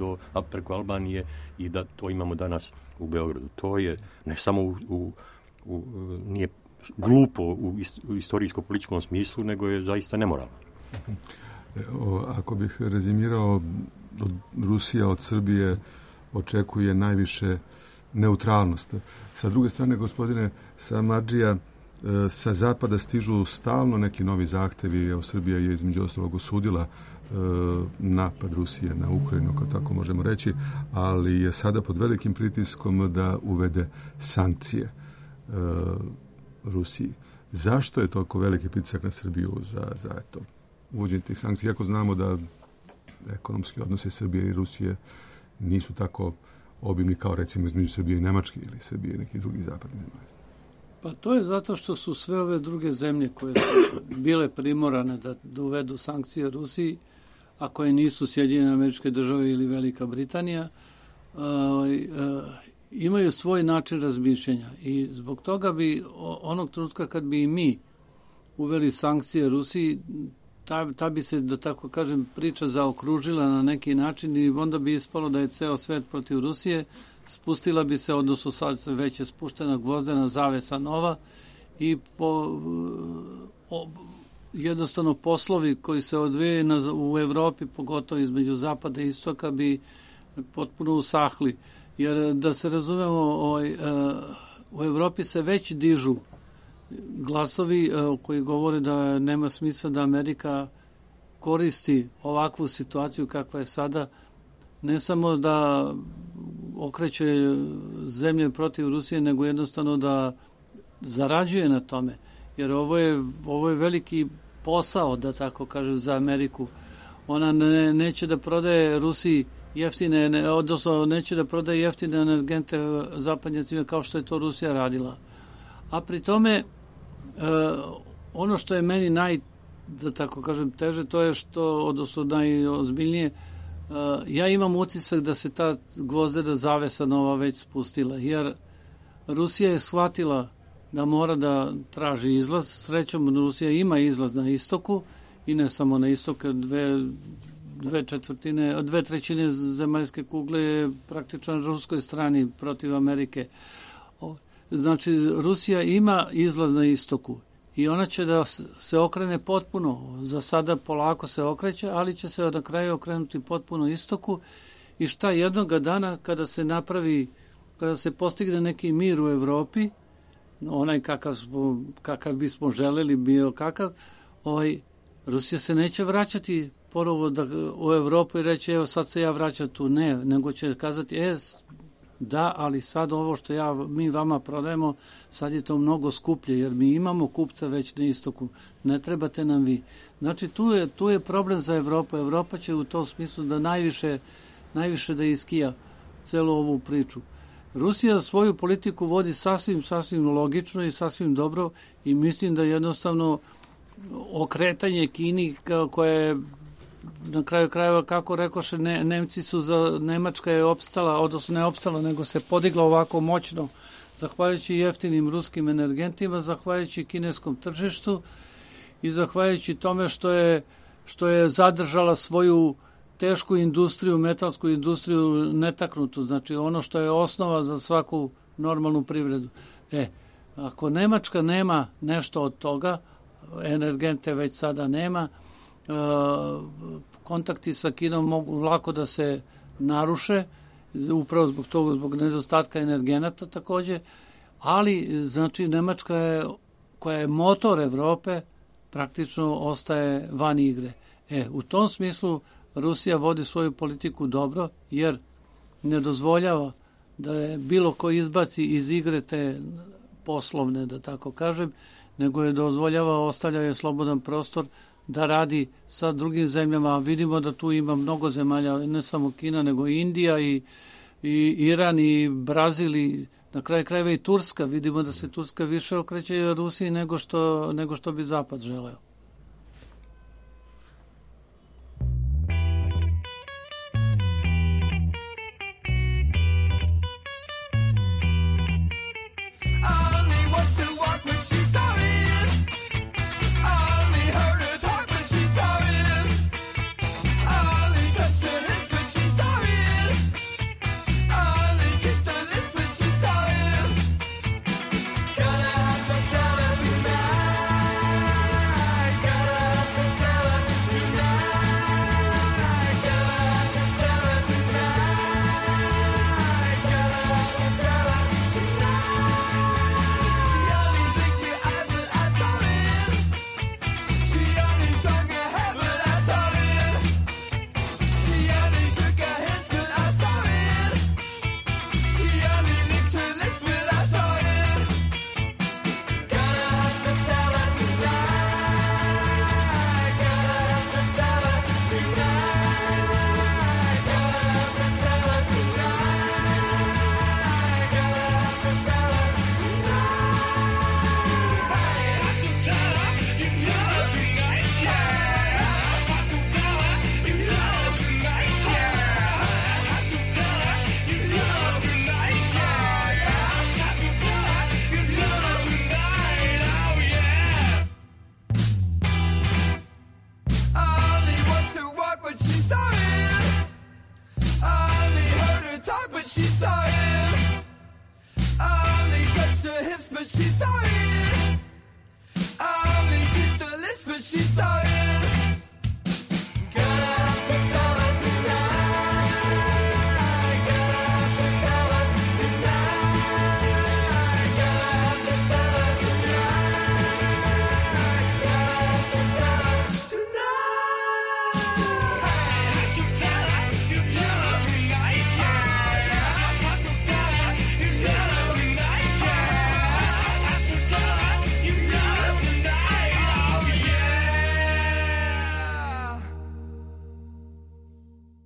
preko Albanije, i da to imamo danas u Beogradu. To je ne samo nije glupo u istorijsko-političkom smislu, nego je zaista nemoralno. Ako bih rezimirao, Rusija od Srbije očekuje najviše neutralnost. Sa druge strane, gospodine Samardžija, sa zapada stižu stalno neki novi zahtevi. Evo, Srbija je između ostalog osudila napad Rusije na Ukrajinu, ako tako možemo reći, ali je sada pod velikim pritiskom da uvede sankcije Rusiji. Zašto je toliko veliki pritisak na Srbiju za uvođenje tih sankcija, iako znamo da ekonomski odnose Srbije i Rusije nisu tako obimni kao recimo između Srbije i Nemačke ili Srbije i nekih drugih zapadnih zemalja? Pa to je zato što su sve ove druge zemlje koje su bile primorane da uvedu sankcije Rusiji, a koje nisu Sjedinjene Američke Države ili Velika Britanija, imaju svoj način razmišljanja. I zbog toga bi onog trenutka kad bi i mi uveli sankcije Rusiji, ta bi se, da tako kažem, priča zaokružila na neki način i onda bi ispalo da je ceo svet protiv Rusije, spustila bi se, odnosno sad već je spuštena gvozdena zavesa nova i jednostavno poslovi koji se odvijaju u Evropi, pogotovo između zapada i istoka, bi potpuno usahli. Jer da se razumemo, u Evropi se već dižu glasovi koji govore da nema smisla da Amerika koristi ovakvu situaciju kakva je sada, ne samo da okreće zemlje protiv Rusije, nego jednostavno da zarađuje na tome. Jer ovo je veliki posao, da tako kažem, za Ameriku. Ona neće da prodaje Rusiji jeftine, odnosno neće da prodaje jeftine energente zapadnjacima kao što je to Rusija radila. A pri tome ono što je meni da tako kažem, teže, to je odnosno najozbiljnije, ja imam utisak da se ta gvozdena zavesa nova već spustila, jer Rusija je shvatila da mora da traži izlaz. Srećom, Rusija ima izlaz na istoku i ne samo na istoku, dve trećine zemaljske kugle je praktično na ruskoj strani protiv Amerike. Znači, Rusija ima izlaz na istoku i ona će da se okrene potpuno. Za sada polako se okreće, ali će se na kraju okrenuti potpuno istoku. I šta jednoga dana kada se postigne neki mir u Evropi, onaj kakav bismo želeli, bio kakav, Rusija se neće vraćati ponovo u Evropu i reći, evo sad se ja vraćam tu. Ne, nego će kazati, da, ali sad ovo što mi vama prodajemo, sad je to mnogo skuplje, jer mi imamo kupca već na istoku. Ne trebate nam vi. Znači, tu je problem za Evropu. Evropa će u tom smislu da najviše da iskija celu ovu priču. Rusija svoju politiku vodi sasvim logično i sasvim dobro i mislim da jednostavno okretanje Kini koje na kraju krajeva, kako rekoše, Nemačka je opstala, odnosno ne opstala, nego se podigla ovako moćno, zahvaljujući jeftinim ruskim energentima, zahvaljujući kineskom tržištu i zahvaljujući tome što je zadržala svoju tešku industriju, metalsku industriju netaknutu, znači ono što je osnova za svaku normalnu privredu. Ako Nemačka nema nešto od toga, energente već sada nema, kontakti sa Kinom mogu lako da se naruše, upravo zbog toga, zbog nedostatka energenata takođe, ali znači Nemačka je, koja je motor Evrope, praktično ostaje van igre. U tom smislu Rusija vodi svoju politiku dobro, jer ne dozvoljava da je bilo ko izbaci iz igre te poslovne, da tako kažem, nego je dozvoljava, ostavlja je slobodan prostor da radi sa drugim zemljama. Vidimo da tu ima mnogo zemalja, ne samo Kina, nego i Indija i Iran i Brazil i na kraju krajeva i Turska. Vidimo da se Turska više okreće Rusiji nego što bi Zapad želeo.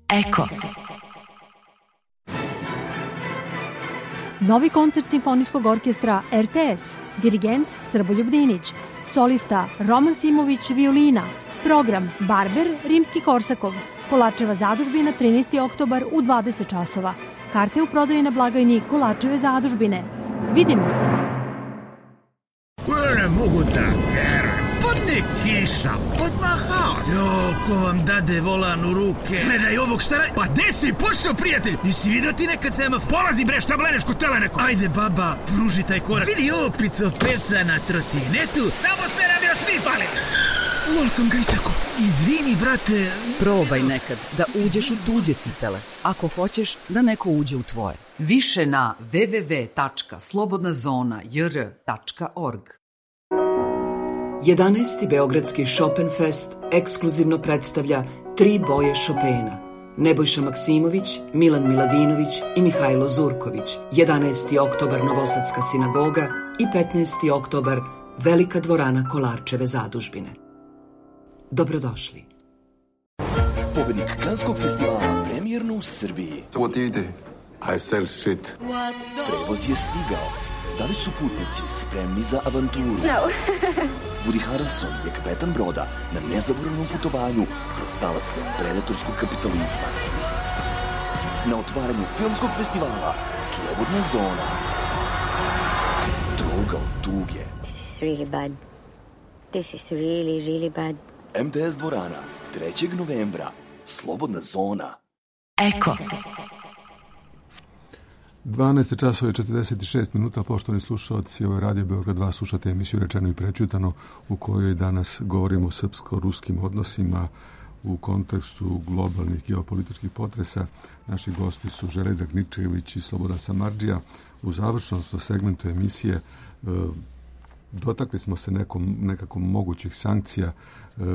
Eko. Novi koncert Simfonijskog orkestra RTS, dirigent Srboljub Dinić, solista Roman Simović violina, program Barber Rimski-Korsakov, Kolačeva zadužbina 13. oktobar u 20 časova. Karte u prodaji na blagajni Kolačeve zadužbine. Vidimo se. Ne mogu da verujem. Podne kiša, odmah haos. Ko vam dade volan u ruke? Gledaj ovog šta radi. Pa gde si pošao, prijatelj? Nisi vidio ti nekad semafor? Polazi bre, šta bleneš kod teleneko? Ajde baba, pruži taj korak. Vidi opico peca na trotinetu. Samo ste nam još vi pali. Uvol sam ga isako. Izvini, brate. Probaj nekad da uđeš u tuđe cipele, ako hoćeš da neko uđe u tvoje. Više na www.slobodnazona.jr.org. 11. Beogradski Chopinfest ekskluzivno predstavlja 3 boje Chopina. Nebojša Maksimović, Milan Miladinović i Mihajlo Zurković. 11. oktobar Novosadska sinagoga i 15. oktobar Velika dvorana Kolarčeve zadužbine. Dobrodošli. Pobednik Kanskog festivala premijerno u Srbiji. What do you do? I sell shit. Prevoz je stigao. Da li su putnici spremni za avanturu? No. Woody Harrelson je kapetan broda na nezaboravnom putovanju kroz talase predatorskog kapitalizma. Na otvaranju filmskog festivala Slobodna zona. Droga od tuge. This is really bad. This is really, really bad. MTS dvorana, 3. novembra. Slobodna zona. Eko. 12 časova i 46 minuta, poštovani slušalci, ovo je Radio Beograd 2, slušate emisiju Rečeno i prećutano, u kojoj danas govorimo o srpsko-ruskim odnosima u kontekstu globalnih geopolitičkih potresa. Naši gosti su Željko Dragničević i Slobodan Samardžija. U završnom segmentu emisije dotakli smo se nekako mogućih sankcija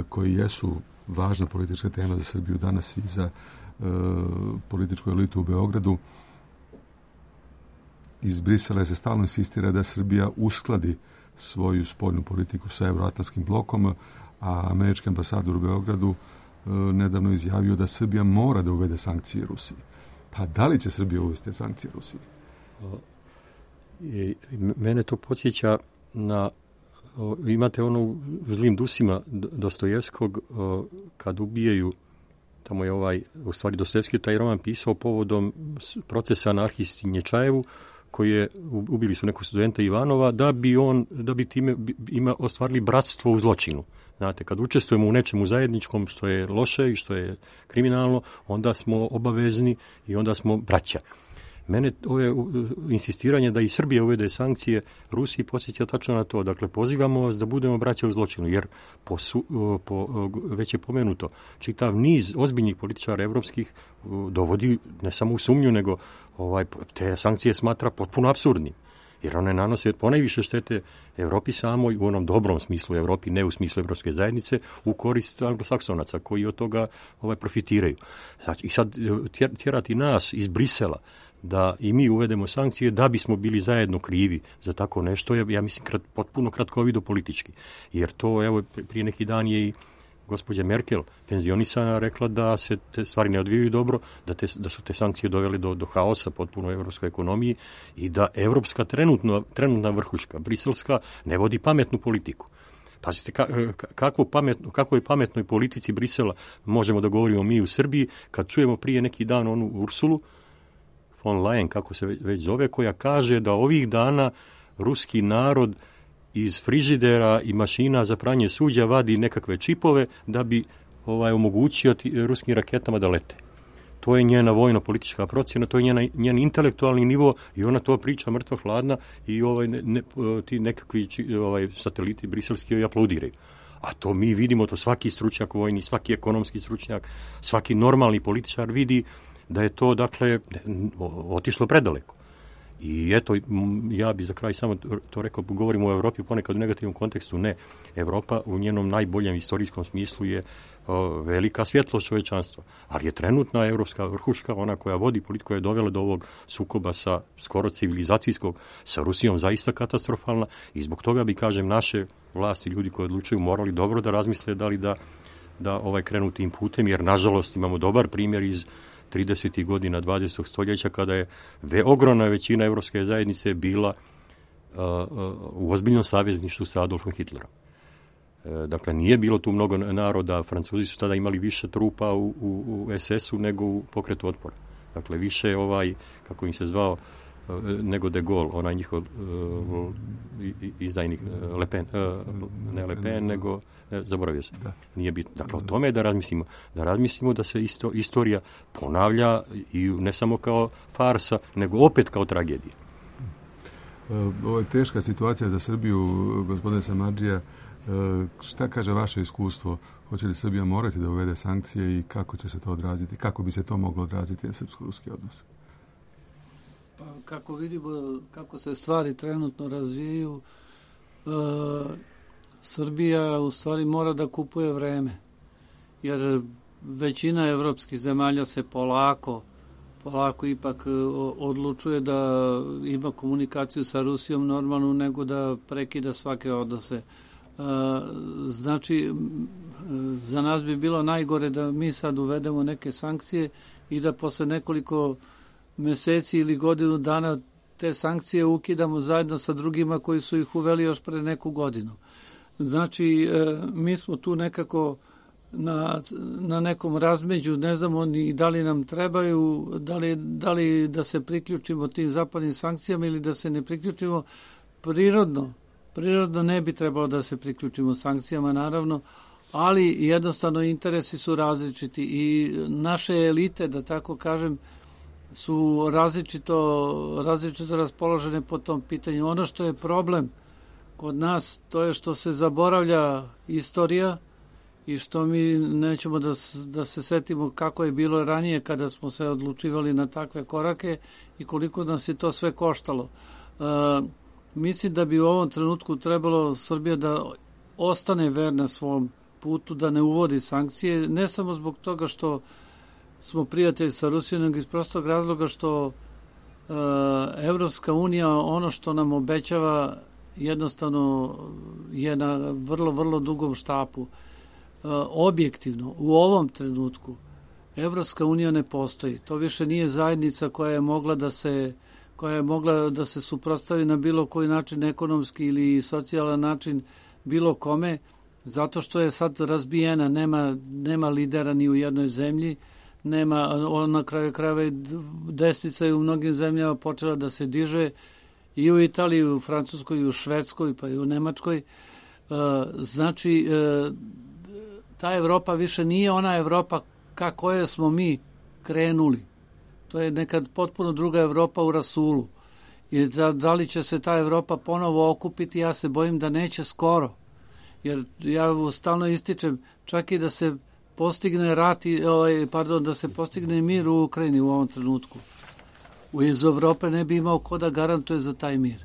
koji jesu važna politička tema za Srbiju danas i za političku elitu u Beogradu. Iz Brisela se stalno insistira da Srbija uskladi svoju spoljnu politiku sa euroatlantskim blokom, a američki ambasador u Beogradu nedavno izjavio da Srbija mora da uvede sankcije Rusiji. Pa da li će Srbija uvesti sankcije Rusiji? Mene to podsjeća na, imate ono u Zlim dusima Dostojevskog, kad ubijaju, tamo je u stvari Dostojevski taj roman pisao povodom procesa anarhisti Nječajevu, koji ubili su nekog studenta Ivanova, da bi time ostvarili bratstvo u zločinu. Znate, kad učestvujemo u nečemu zajedničkom što je loše i što je kriminalno, onda smo obavezni i onda smo braća. Mene ove insistiranje da i Srbija uvede sankcije Rusiji podsjeća tačno na to. Dakle, pozivamo vas da budemo braća u zločinu, jer već je pomenuto, čitav niz ozbiljnih političara evropskih dovodi ne samo u sumnju, nego te sankcije smatra potpuno apsurdnim. Jer one nanose ponajviše štete Evropi samoj, u onom dobrom smislu Evropi, ne u smislu Evropske zajednice, u korist anglosaksonaca koji od toga profitiraju. Znači, i sad tjerati nas iz Brisela da i mi uvedemo sankcije da bismo bili zajedno krivi za tako nešto, ja mislim potpuno kratkovido politički. Jer to, evo, prije neki dan je i gospođa Merkel, penzionisana, rekla da se te stvari ne odvijaju dobro, da su te sankcije dovele do haosa potpuno u evropskoj ekonomiji i da evropska trenutna vrhuška, briselska, ne vodi pametnu politiku. Pazite, kakvoj pametnoj politici Brisela možemo da govorimo mi u Srbiji, kad čujemo prije neki dan onu Ursulu von Leyen, kako se već zove, koja kaže da ovih dana ruski narod iz frižidera i mašina za pranje suđa vadi nekakve čipove da bi omogućio ruskim raketama da lete. To je njena vojno-politička procjena, to je njen intelektualni nivo i ona to priča mrtva hladna i ti nekakvi sateliti briselski joj aplaudiraju. A to mi vidimo, to svaki stručnjak vojni, svaki ekonomski stručnjak, svaki normalni političar vidi da je to, dakle, otišlo predaleko. I eto, ja bi za kraj samo to rekao, govorimo o Evropi ponekad u negativnom kontekstu, ne. Evropa u njenom najboljem istorijskom smislu je velika svjetlost čovječanstva, ali je trenutna evropska vrhuška, ona koja vodi politiku, koja je dovela do ovog sukoba sa skoro civilizacijskog sa Rusijom, zaista katastrofalna i zbog toga bi, kažem, naše vlasti, ljudi koji odlučuju, morali dobro da razmisle da li da krenu tim putem, jer nažalost imamo dobar primjer iz 30. godina 20. stoljeća kada je ogromna većina evropske zajednice bila u ozbiljnom savezništvu sa Adolfom Hitlerom. Dakle, nije bilo tu mnogo naroda, Francuzi su tada imali više trupa u SS-u nego u pokretu otpora. Dakle, više kako im se zvao, nego de Gaulle, onaj njihov izdajnik Le Pen, ne Le Pen, nego zaboravio se. Nije bitno. Dakle, o tome je da razmislimo da se istorija ponavlja i ne samo kao farsa, nego opet kao tragedija. Ovo je teška situacija za Srbiju, gospodine Samardžija. Šta kaže vaše iskustvo? Hoće li Srbija morati da uvede sankcije i kako će se to odraziti? Kako bi se to moglo odraziti na srpsko-ruski odnos? Pa, kako vidimo kako se stvari trenutno razvijaju, Srbija u stvari mora da kupuje vreme, jer većina evropskih zemalja se polako ipak odlučuje da ima komunikaciju sa Rusijom normalnu nego da prekida svake odnose. Znači, za nas bi bilo najgore da mi sad uvedemo neke sankcije i da posle nekoliko meseci ili godinu dana te sankcije ukidamo zajedno sa drugima koji su ih uveli još pre neku godinu. Znači, mi smo tu nekako na nekom razmeđu, ne znamo ni da li nam trebaju, da li da se priključimo tim zapadnim sankcijama ili da se ne priključimo. Prirodno ne bi trebalo da se priključimo sankcijama, naravno, ali jednostavno interesi su različiti i naše elite, da tako kažem, su različito raspoložene po tom pitanju. Ono što je problem kod nas, to je što se zaboravlja istorija i što mi nećemo da se setimo kako je bilo ranije kada smo se odlučivali na takve korake i koliko nas je to sve koštalo. Mislim da bi u ovom trenutku trebalo Srbija da ostane verna svom putu, da ne uvodi sankcije, ne samo zbog toga što smo prijatelji sa Rusijom, nego iz prostog razloga što Evropska unija ono što nam obećava jednostavno je na vrlo, vrlo dugom štapu. Objektivno, u ovom trenutku Evropska unija ne postoji. To više nije zajednica koja je mogla da se suprotstavi na bilo koji način, ekonomski ili socijalan način bilo kome, zato što je sad razbijena, nema lidera ni u jednoj zemlji, na kraju krajeva desnica je u mnogim zemljama počela da se diže i u Italiji, i u Francuskoj, i u Švedskoj, pa i u Nemačkoj. Znači, ta Evropa više nije ona Evropa kako je smo mi krenuli. To je nekad potpuno druga Evropa u rasulu. I da li će se ta Evropa ponovo okupiti, ja se bojim da neće skoro. Jer ja stalno ističem, čak i da se postigne da se postigne mir u Ukrajini u ovom trenutku. Iz Evrope ne bi imao ko da garantuje za taj mir.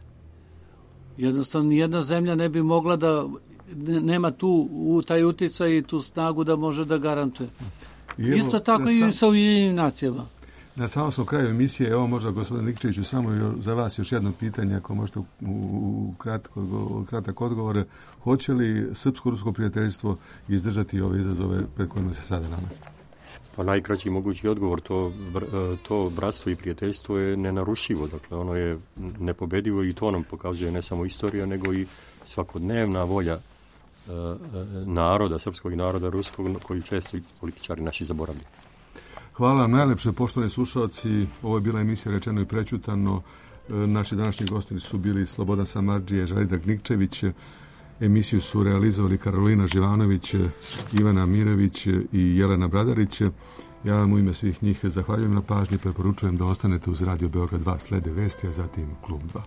Jednostavno, nijedna zemlja ne bi mogla da nema taj uticaj i tu snagu da može da garantuje. Isto tako i sa Ujedinjenim nacijama. Na samom smo kraju emisije, evo možda gospodin Nikčeviću, samo za vas još jedno pitanje, ako možete u kratak odgovor. Hoće li srpsko-rusko prijateljstvo izdržati ove izazove pred kojima se sada nalazi? Pa najkraći mogući odgovor, to bratstvo i prijateljstvo je nenarušivo, dakle ono je nepobedivo i to nam pokazuje ne samo istorija, nego i svakodnevna volja naroda, srpskog i naroda ruskog, koji često i političari naši zaboravljaju. Hvala vam najlepše, poštovani slušalci. Ovo je bila emisija Rečeno i prećutano. Naši današnji gosti su bili Slobodan Samardžija, Željko Nikčević. Emisiju su realizovali Karolina Živanović, Ivana Mirević i Jelena Bradarić. Ja vam u ime svih njih zahvaljujem na pažnji, preporučujem da ostanete uz Radio Beograd 2, slede vesti, a zatim Klub 2.